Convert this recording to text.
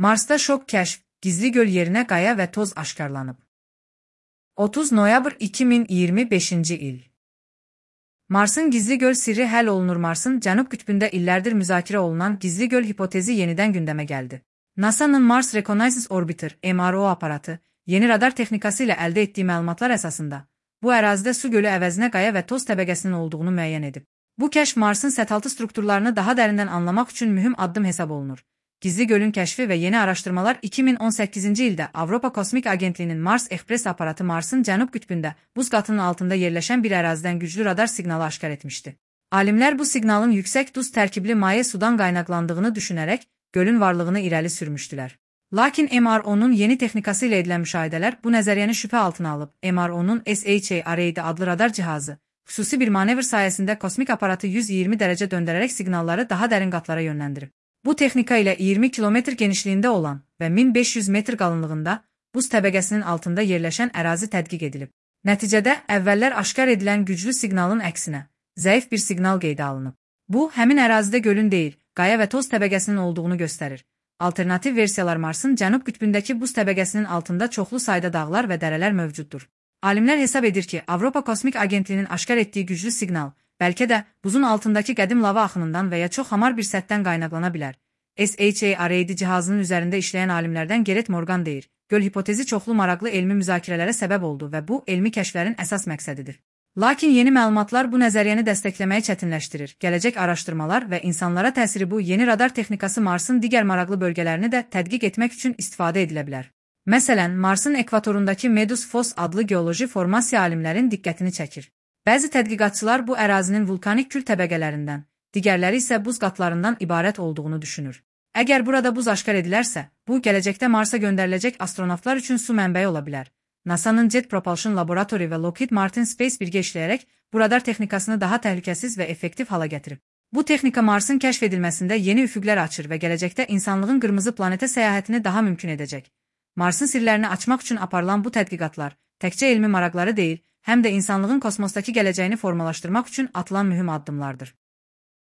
Marsda şok kəşf, gizli göl yerinə qaya və toz aşkarlanıb. 30 noyabr 2025-ci il. Marsın gizli göl sirri həll olunur. Marsın cənub qütbündə illərdir müzakirə olunan gizli göl hipotezi yenidən gündəmə gəldi. NASA'nın Mars Reconnaissance Orbiter (MRO) aparatı, yeni radar texnikası ilə əldə etdiyi məlumatlar əsasında, bu ərazidə su gölü əvəzinə qaya və toz təbəqəsinin olduğunu müəyyən edib. Bu kəşf Marsın sətaltı strukturlarını daha dərindən anlamaq üçün mühüm addım hesab olunur. Gizli gölün kəşfi və yeni araşdırmalar 2018-ci ildə Avropa Kosmik Agentliyinin Mars Express aparatı Marsın cənub qütbündə, buz qatının altında yerləşən bir ərazidən güclü radar siqnalı aşkar etmişdi. Alimlər bu siqnalın yüksək duz tərkibli maye sudan qaynaqlandığını düşünərək gölün varlığını irəli sürmüşdülər. Lakin MRO-nun yeni texnikası ilə edilən müşahidələr bu nəzəriyyəni şübhə altına alıb. MRO-nun SHA-RAD adlı radar cihazı, xüsusi bir manevr sayəsində kosmik aparatı 120 dərəcə döndərərək siqnalları daha dərin qatlara yönləndirib. Bu texnika ilə 20 kilometr genişliyində olan və 1500 metr qalınlığında buz təbəqəsinin altında yerləşən ərazi tədqiq edilib. Nəticədə əvvəllər aşkar edilən güclü siqnalın əksinə, zəif bir siqnal qeydə alınıb. Bu, həmin ərazidə gölün deyil, qaya və toz təbəqəsinin olduğunu göstərir. Alternativ versiyalar Marsın cənub qütbündəki buz təbəqəsinin altında çoxlu sayda dağlar və dərələr mövcuddur. Alimlər hesab edir ki, Avropa Kosmik Agentliyinin aşkar etdiyi güclü siqnal bəlkə də buzun altındakı qədim lava axınından və ya çox hamar bir səthdən qaynaqlana bilər. SHA-RAD cihazının üzərində işləyən alimlərdən Gerrit Morgan deyir, göl hipotezi çoxlu maraqlı elmi müzakirələrə səbəb oldu və bu, elmi kəşflərin əsas məqsədidir. Lakin yeni məlumatlar bu nəzəriyyəni dəstəkləməyi çətinləşdirir. Gələcək araşdırmalar və insanlara təsiri bu yeni radar texnikası Marsın digər maraqlı bölgələrini də tədqiq etmək üçün istifadə edilə bilər. Məsələn, Marsın ekvatorundakı Medus Foss adlı geoloji formasiya alimlərin diqqətini çəkir. Bəzi tədqiqatçılar bu ərazinin vulkanik kül təbəqələrindən, digərləri isə buz qatlarından ibarət olduğunu düşünür. Əgər burada buz aşkar edilərsə, bu gələcəkdə Marsa göndəriləcək astronavtlar üçün su mənbəyi ola bilər. NASA'nın Jet Propulsion Laboratory və Lockheed Martin Space birgə işləyərək bu radar texnikasını daha təhlükəsiz və effektiv hala gətirib. Bu texnika Marsın kəşf edilməsində yeni üfüqlər açır və gələcəkdə insanlığın qırmızı planetə səyahətini daha mümkün edəcək. Marsın sirlərini açmaq üçün aparılan bu tədqiqatlar təkcə elmi maraqları deyil, həm də insanlığın kosmosdakı gələcəyini formalaşdırmaq üçün atılan mühüm addımlardır.